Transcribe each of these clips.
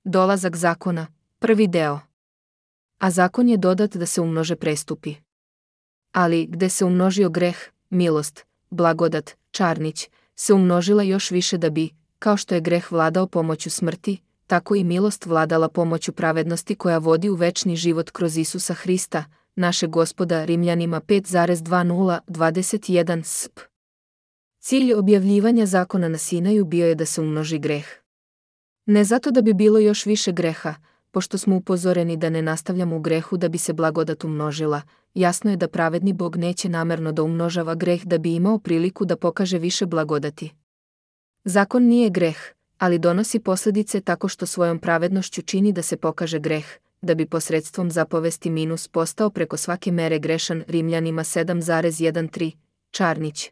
Dolazak zakona, prvi deo. A zakon je dodat da se umnože prestupi. Ali, gde se umnožio greh, milost, blagodat, Čarnić, se umnožila još više da bi, kao što je greh vladao pomoću smrti, tako i milost vladala pomoću pravednosti koja vodi u večni život kroz Isusa Hrista, našeg Gospoda. Rimljanima 5,20-21 sp. Cilj objavljivanja zakona na Sinaju bio je da se umnoži greh. Ne zato da bi bilo još više greha, pošto smo upozoreni da ne nastavljamo u grehu da bi se blagodat umnožila, jasno je da pravedni Bog neće namerno da umnožava greh da bi imao priliku da pokaže više blagodati. Zakon nije greh, ali donosi posljedice tako što svojom pravednošću čini da se pokaže greh, da bi posredstvom zapovesti minus postao preko svake mere grešan. Rimljanima 7,13, Čarnić.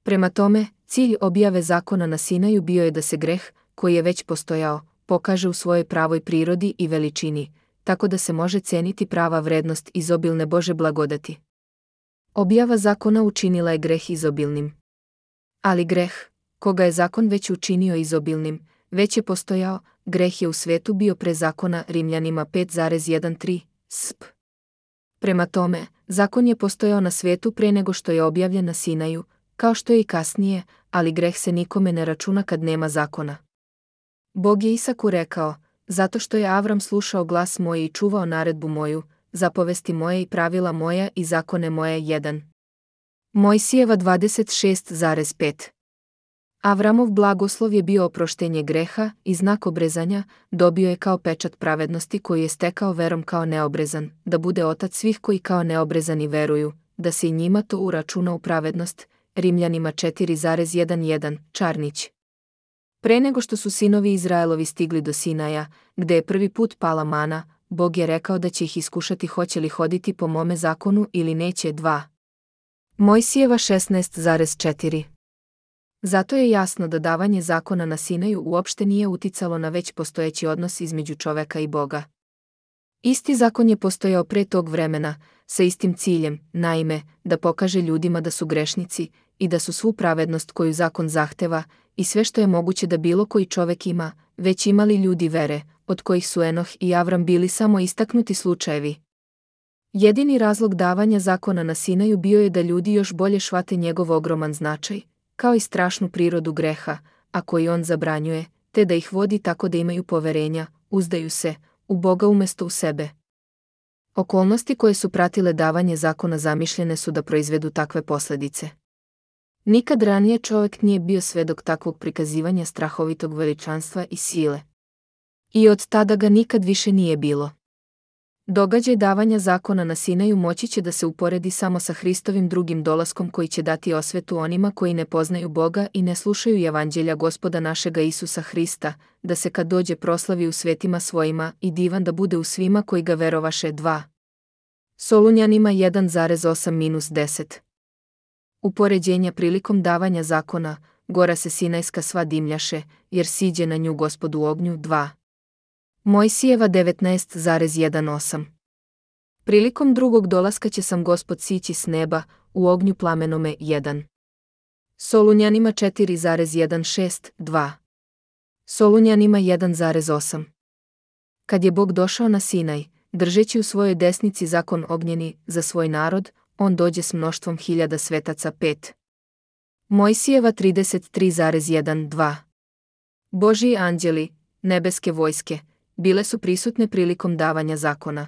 Prema tome, cilj objave zakona na Sinaju bio je da se greh, koji je već postojao, pokaže u svojoj pravoj prirodi i veličini, tako da se može ceniti prava vrednost izobilne Bože blagodati. Objava zakona učinila je greh izobilnim. Ali greh, koga je zakon već učinio izobilnim, već je postojao, greh je u svetu bio pre zakona. Rimljanima 5,13 sp. Prema tome, zakon je postojao na svetu pre nego što je objavljen na Sinaju, kao što je i kasnije, ali greh se nikome ne računa kad nema zakona. Bog je Isaku rekao, zato što je Avram slušao glas moj i čuvao naredbu moju, zapovesti moje i pravila moja i zakone moje. 1. Mojsijeva 26,5. Avramov blagoslov je bio oproštenje greha i znak obrezanja, dobio je kao pečat pravednosti koju je stekao verom kao neobrezan, da bude otac svih koji kao neobrezani veruju, da se i njima to uračuna u pravednost. Rimljanima 4,11, Čarnić. Pre nego što su sinovi Izraelovi stigli do Sinaja, gde je prvi put pala mana, Bog je rekao da će ih iskušati hoće li hoditi po mome zakonu ili neće. 2. Mojsijeva 16,4. Zato je jasno da davanje zakona na Sinaju uopšte nije uticalo na već postojeći odnos između čoveka i Boga. Isti zakon je postojao pre tog vremena, sa istim ciljem, naime, da pokaže ljudima da su grešnici i da su svu pravednost koju zakon zahteva i sve što je moguće da bilo koji čovek ima, već imali ljudi vere, od kojih su Enoh i Avram bili samo istaknuti slučajevi. Jedini razlog davanja zakona na Sinaju bio je da ljudi još bolje shvate njegov ogroman značaj, kao i strašnu prirodu greha, a koji on zabranjuje, te da ih vodi tako da imaju poverenja, uzdaju se u Boga umesto u sebe. Okolnosti koje su pratile davanje zakona zamišljene su da proizvedu takve posljedice. Nikad ranije čovjek nije bio svedok takvog prikazivanja strahovitog veličanstva i sile. I od tada ga nikad više nije bilo. Događaj davanja zakona na Sinaju moći će da se uporedi samo sa Hristovim drugim dolaskom koji će dati osvetu onima koji ne poznaju Boga i ne slušaju evanđelja Gospoda našega Isusa Hrista, da se kad dođe proslavi u svetima svojima i divan da bude u svima koji ga verovaše. 2. Solunjanima 1,8-10. Upoređenja prilikom davanja zakona, gora se Sinajska sva dimljaše, jer siđe na nju Gospod u ognju. 2. Mojsijeva 19,18. Prilikom drugog dolaska će sam Gospod sići s neba, u ognju plamenome. 1. Solunjanima 4,16-2. Solunjanima 1,8. Kad je Bog došao na Sinaj, držeći u svojoj desnici zakon ognjeni za svoj narod, on dođe s mnoštvom hiljada svetaca. 5. Mojsijeva 33,1-2. Božji anđeli, nebeske vojske, bile su prisutne prilikom davanja zakona.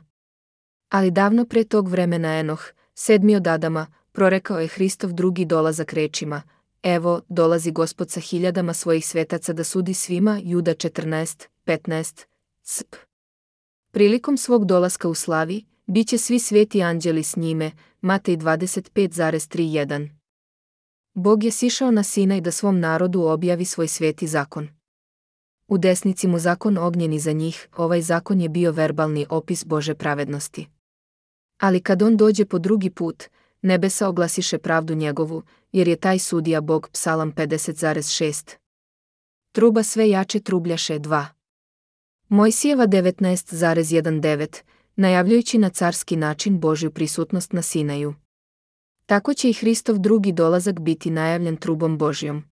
Ali davno pre tog vremena Enoh, 7. od Adama, prorekao je Hristov drugi dolazak rečima: Evo, dolazi Gospod sa hiljadama svojih svetaca da sudi svima. Juda 14:15 sp. Prilikom svog dolaska u slavi, bit će svi sveti anđeli s njime. Matej 25,31. Bog je sišao na Sinaj da svom narodu objavi svoj sveti zakon. U desnici mu zakon ognjeni za njih, ovaj zakon je bio verbalni opis Bože pravednosti. Ali kad on dođe po drugi put, nebesa oglasiše pravdu njegovu, jer je taj sudija Bog. Psalam 50,6. Truba sve jače trubljaše. 2. Mojsijeva 19,19, najavljujući na carski način Božju prisutnost na Sinaju. Tako će i Hristov drugi dolazak biti najavljen trubom Božjom.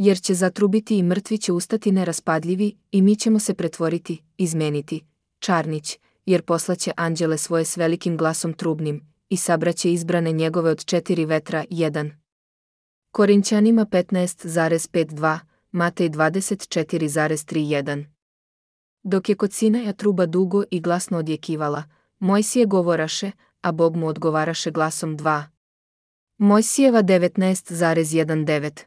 Jer će zatrubiti i mrtvi će ustati neraspadljivi i mi ćemo se pretvoriti, izmeniti, Čarnić, jer poslaće anđele svoje s velikim glasom trubnim i sabraće izbrane njegove od 4 vetra 1. Korinćanima 15,52, Matej 24,31. Dok je kod Sinaja truba dugo i glasno odjekivala, Mojsije govoraše, a Bog mu odgovaraše glasom 2. Mojsijeva 19,19.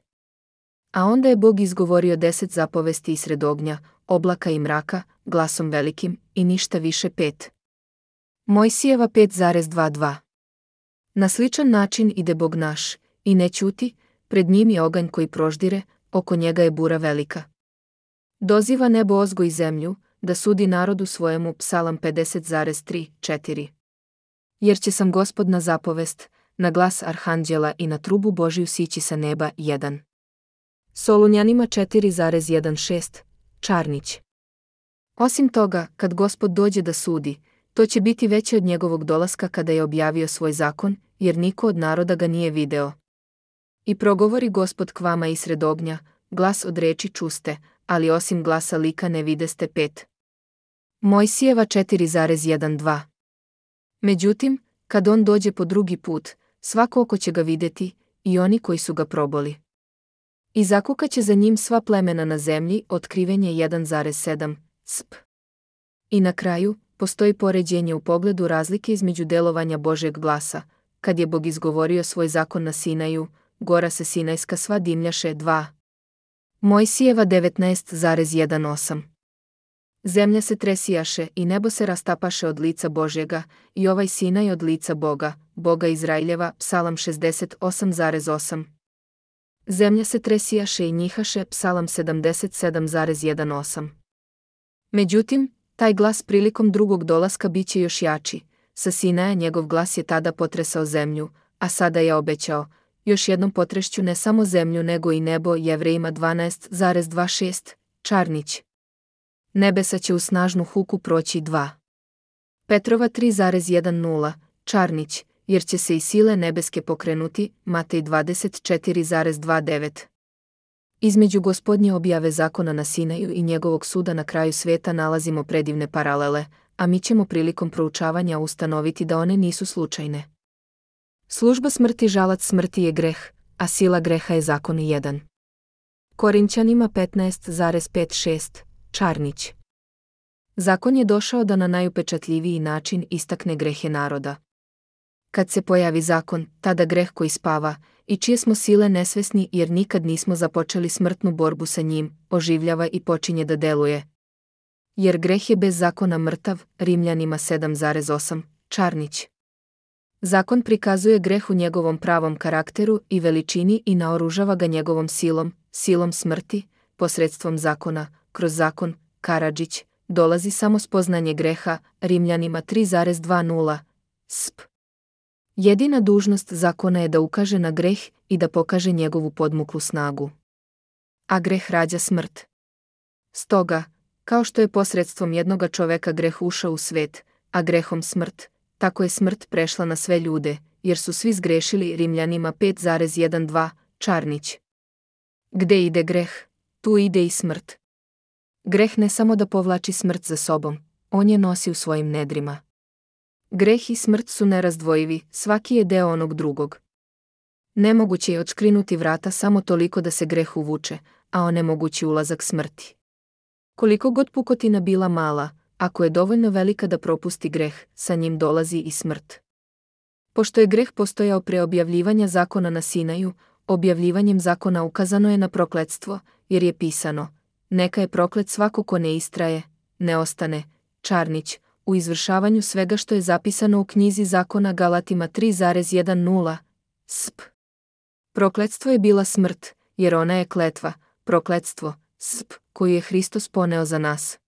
A onda je Bog izgovorio 10 zapovesti isred ognja, oblaka i mraka, glasom velikim, i ništa više 5. Mojsijeva 5,22. Na sličan način ide Bog naš, i ne ćuti, pred njim je oganj koji proždire, oko njega je bura velika. Doziva nebo ozgo i zemlju, da sudi narodu svojemu, Psalam 50,3-4. Jer će sam Gospod na zapovest, na glas arhanđela i na trubu Božiju sići sa neba 1. Solunjanima 4,16, Čarnić. Osim toga, kad Gospod dođe da sudi, to će biti veće od njegovog dolaska kada je objavio svoj zakon, jer niko od naroda ga nije video. I progovori Gospod k vama isred ognja, glas od reči čuste, ali osim glasa lika ne videste 5. Mojsijeva 4,12. Međutim, kad on dođe po drugi put, svako oko će ga vidjeti, i oni koji su ga proboli. I zakukaće za njim sva plemena na zemlji, otkrivenje 1,7, sp. I na kraju, postoji poređenje u pogledu razlike između delovanja Božjeg glasa, kad je Bog izgovorio svoj zakon na Sinaju, gora se Sinajska sva dimljaše 2. Mojsijeva 19,18. Zemlja se tresijaše i nebo se rastapaše od lica Božjega, i ovaj Sinaj od lica Boga, Boga Izraeljeva, Psalam 68,8. Zemlja se tresijaše i njihaše, Psalam 77,18. Međutim, taj glas prilikom drugog dolaska bit će još jači. Sa Sinaja njegov glas je tada potresao zemlju, a sada je obećao, još jednom potrešću ne samo zemlju nego i nebo, Jevrejima 12,26, Čarnić. Nebesa će u snažnu huku proći 2. Petrova 3,10, Čarnić, jer će se i sile nebeske pokrenuti, Matej 24,29. Između Gospodnje objave zakona na Sinaju i njegovog suda na kraju sveta nalazimo predivne paralele, a mi ćemo prilikom proučavanja ustanoviti da one nisu slučajne. Služba smrti, žalac smrti je greh, a sila greha je zakon 1. Korinćanima 15,5-6, Čarnić. Zakon je došao da na najupečatljiviji način istakne grehe naroda. Kad se pojavi zakon, tada greh koji spava, i čije smo sile nesvesni jer nikad nismo započeli smrtnu borbu sa njim, oživljava i počinje da deluje. Jer greh je bez zakona mrtav, Rimljanima 7,8, Čarnić. Zakon prikazuje greh u njegovom pravom karakteru i veličini i naoružava ga njegovom silom smrti, posredstvom zakona, kroz zakon, Karadžić, dolazi samo spoznanje greha, Rimljanima 3,20, sp. Jedina dužnost zakona je da ukaže na greh i da pokaže njegovu podmuklu snagu. A greh rađa smrt. Stoga, kao što je posredstvom jednoga čoveka greh ušao u svet, a grehom smrt, tako je smrt prešla na sve ljude, jer su svi zgrešili, Rimljanima 5,12, Čarnić. Gde ide greh, tu ide i smrt. Greh ne samo da povlači smrt za sobom, on je nosi u svojim nedrima. Greh i smrt su nerazdvojivi, svaki je deo onog drugog. Nemoguće je odškrinuti vrata samo toliko da se greh uvuče, a onemogući ulazak smrti. Koliko god pukotina bila mala, ako je dovoljno velika da propusti greh, sa njim dolazi i smrt. Pošto je greh postojao pre objavljivanja zakona na Sinaju, objavljivanjem zakona ukazano je na prokletstvo, jer je pisano: neka je proklet svako ko ne istraje, ne ostane, Čarnić, u izvršavanju svega što je zapisano u knjizi zakona, Galatima 3,10, sp. Prokletstvo je bila smrt, jer ona je kletva, prokletstvo, sp, koju je Hristos poneo za nas.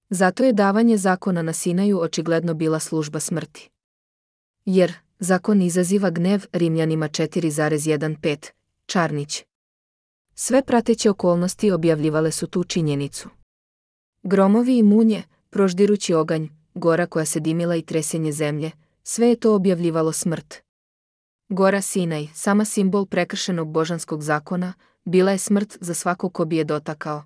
Zato je davanje zakona na Sinaju očigledno bila služba smrti. Jer zakon izaziva gnev, Rimljanima 4,15, Čarnić. Sve prateće okolnosti objavljivale su tu činjenicu. Gromovi i munje, proždirući oganj, gora koja se dimila i tresenje zemlje, sve je to objavljivalo smrt. Gora Sinaj, sama simbol prekršenog božanskog zakona, bila je smrt za svakog ko bi je dotakao.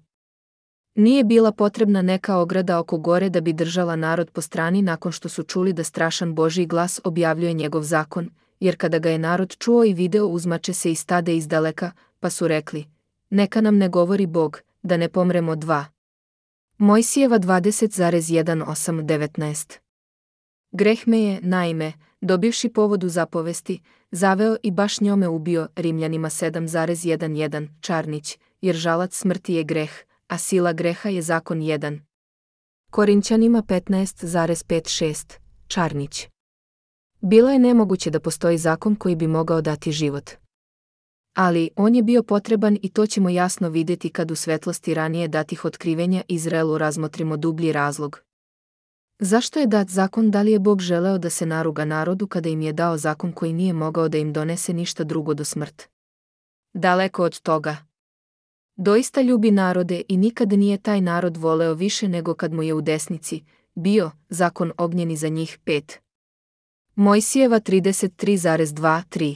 Nije bila potrebna neka ograda oko gore da bi držala narod po strani nakon što su čuli da strašan Božji glas objavljuje njegov zakon, jer kada ga je narod čuo i video uzmače se i stade izdaleka, pa su rekli: neka nam ne govori Bog, da ne pomremo. 2. Mojsijeva 20,18-19. Greh me je, naime, dobivši povodu zapovesti, zaveo i baš njome ubio. Rimljanima 7,11. Čarnić, jer žalac smrti je greh, a sila greha je zakon 1. Korinćanima 15,5-6. Čarnić. Bilo je nemoguće da postoji zakon koji bi mogao dati život. Ali on je bio potreban i to ćemo jasno vidjeti kad u svetlosti ranije datih otkrivenja Izraelu razmotrimo dublji razlog. Zašto je dat zakon? Da li je Bog želeo da se naruga narodu kada im je dao zakon koji nije mogao da im donese ništa drugo do smrt? Daleko od toga. Doista ljubi narode i nikad nije taj narod voleo više nego kad mu je u desnici bio zakon ognjeni za njih. 5. Mojsijeva 33,2-3.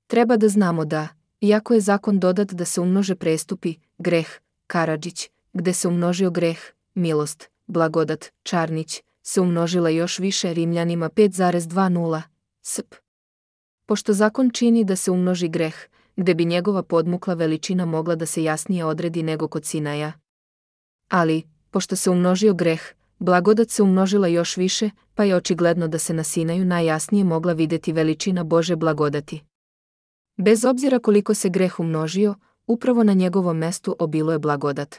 Treba da znamo da, iako je zakon dodat da se umnože prestupi, greh, Karadžić, gde se umnožio greh, milost, blagodat, Čarnić, se umnožila još više. Rimljanima 5,20. Sp. Pošto zakon čini da se umnoži greh, gde bi njegova podmukla veličina mogla da se jasnije odredi nego kod Sinaja. Ali, pošto se umnožio greh, blagodat se umnožila još više, pa je očigledno da se na Sinaju najjasnije mogla vidjeti veličina Bože blagodati. Bez obzira koliko se greh umnožio, upravo na njegovom mestu obilo je blagodat.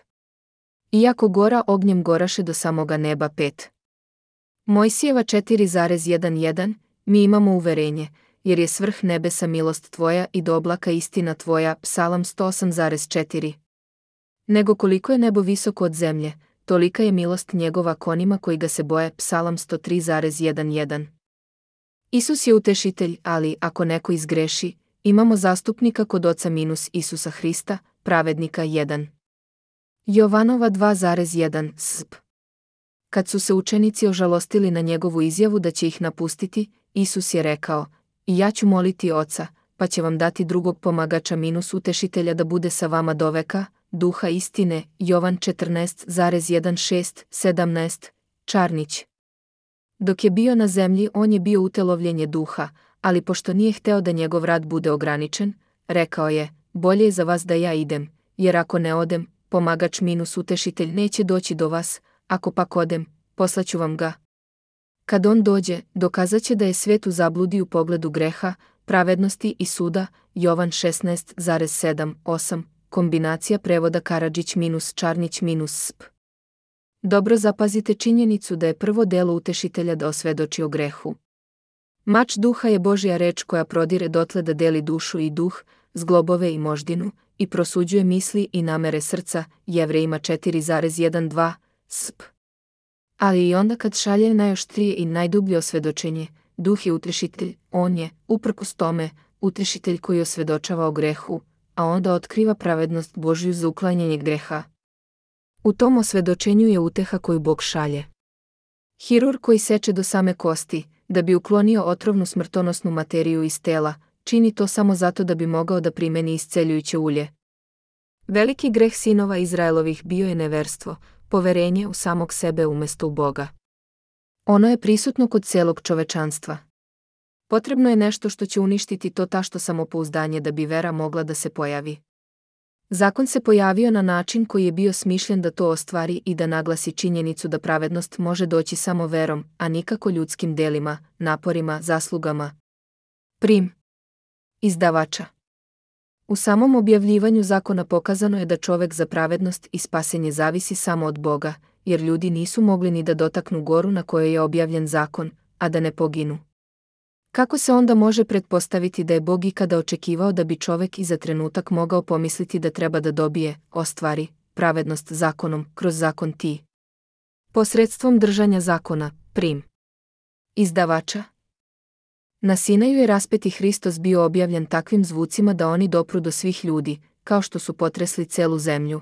Iako gora ognjem goraše do samoga neba. 5. Mojsijeva 4,11. Mi imamo uverenje, jer je svrh nebesa milost tvoja i do oblaka istina tvoja. Psalam 108,4. Nego koliko je nebo visoko od zemlje, tolika je milost njegova konima koji ga se boje. Psalam 103,11. Isus je utešitelj, ali ako neko izgreši, imamo zastupnika kod Oca - Isusa Hrista, pravednika. 1. Jovanova 2,1. Sp. Kad su se učenici ožalostili na njegovu izjavu da će ih napustiti, Isus je rekao: i ja ću moliti Oca, pa će vam dati drugog pomagača - utešitelja da bude sa vama doveka, duha istine. Jovan 14,16-17. Čarnić. Dok je bio na zemlji, on je bio utelovljenje duha, ali pošto nije hteo da njegov rad bude ograničen, rekao je: bolje je za vas da ja idem, jer ako ne odem, pomagač - utešitelj neće doći do vas, ako pak odem, poslaću vam ga. Kad on dođe, dokazat će da je svet u zabludi u pogledu greha, pravednosti i suda. Jovan 16,7-8. Kombinacija prevoda Karadžić - Čarnić - Sp. Dobro zapazite činjenicu da je prvo delo utešitelja da osvedoči o grehu. Mač duha je Božja reč koja prodire dotle da deli dušu i duh, zglobove i moždinu, i prosuđuje misli i namere srca. Jevrejima 4,1-2. Sp. Ali i onda kad šalje najoštrije i najdublje osvedočenje, duh je utešitelj, on je, uprkos tome, utešitelj koji osvedočava o grehu, a onda otkriva pravednost Božju za uklanjanje greha. U tom osvedočenju je uteha koju Bog šalje. Hirurg koji seče do same kosti, da bi uklonio otrovnu smrtonosnu materiju iz tela, čini to samo zato da bi mogao da primeni isceljujuće ulje. Veliki greh sinova Izraelovih bio je neverstvo, poverenje u samog sebe umesto u Boga. Ono je prisutno kod celog čovečanstva. Potrebno je nešto što će uništiti to tašto samopouzdanje da bi vera mogla da se pojavi. Zakon se pojavio na način koji je bio smišljen da to ostvari i da naglasi činjenicu da pravednost može doći samo verom, a nikako ljudskim delima, naporima, zaslugama. Prim. Izdavača. U samom objavljivanju zakona pokazano je da čovek za pravednost i spasenje zavisi samo od Boga, jer ljudi nisu mogli ni da dotaknu goru na kojoj je objavljen zakon, a da ne poginu. Kako se onda može pretpostaviti da je Bog ikada očekivao da bi čovek i za trenutak mogao pomisliti da treba da dobije, ostvari, pravednost zakonom, kroz zakon ti? Posredstvom držanja zakona. Prim. Izdavača. Na Sinaju je raspeti Hristos bio objavljen takvim zvucima da oni dopru do svih ljudi, kao što su potresli celu zemlju.